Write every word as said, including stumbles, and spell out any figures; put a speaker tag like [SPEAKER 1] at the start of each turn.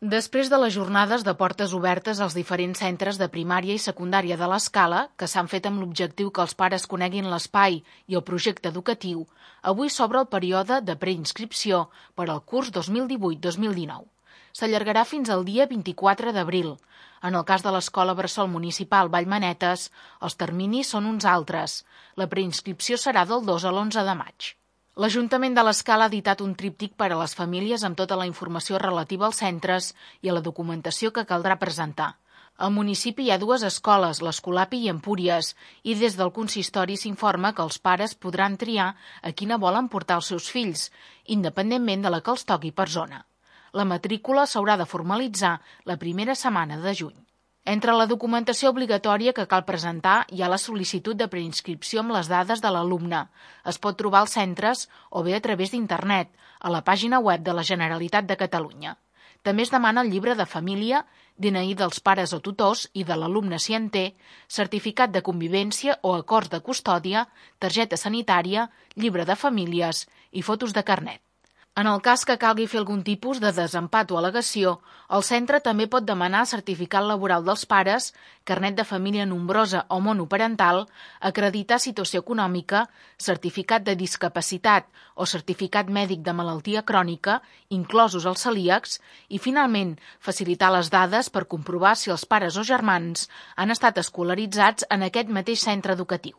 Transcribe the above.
[SPEAKER 1] Després de les jornades de portes obertes als diferents centres de primària i secundària de l'Escala, que s'han fet amb l'objectiu que els pares coneguin l'espai i el projecte educatiu, avui s'obre el període de preinscripció per al curs dos mil divuit dos mil dinou. S'allargarà fins al dia vint-i-quatre d'abril. En el cas de l'Escola Bressol Municipal Vallmanetes, els terminis són uns altres. La preinscripció serà del dos a l'onze de maig. L'Ajuntament de l'Escala ha editat un tríptic per a les famílies amb tota la informació relativa als centres i a la documentació que caldrà presentar. Al municipi hi ha dues escoles, l'Escolapi i Empúries, i des del consistori s'informa que els pares podran triar a quina volen portar els seus fills, independentment de la que els toqui per zona. La matrícula s'haurà de formalitzar la primera setmana de juny. Entre la documentació obligatòria que cal presentar hi ha la sol·licitud de preinscripció amb les dades de l'alumne. Es pot trobar als centres o bé a través d'internet, a la pàgina web de la Generalitat de Catalunya. També es demana el llibre de família, D N I dels pares o tutors i de l'alumne si en té, certificat de convivència o acords de custòdia, targeta sanitària, llibre de famílies i fotos de carnet. En el cas que calgui fer algun tipus de desempat o al·legació, el centre també pot demanar certificat laboral dels pares, carnet de família nombrosa o monoparental, acreditar situació econòmica, certificat de discapacitat o certificat mèdic de malaltia crònica, inclosos els celíacs, i, finalment, facilitar les dades per comprovar si els pares o germans han estat escolaritzats en aquest mateix centre educatiu.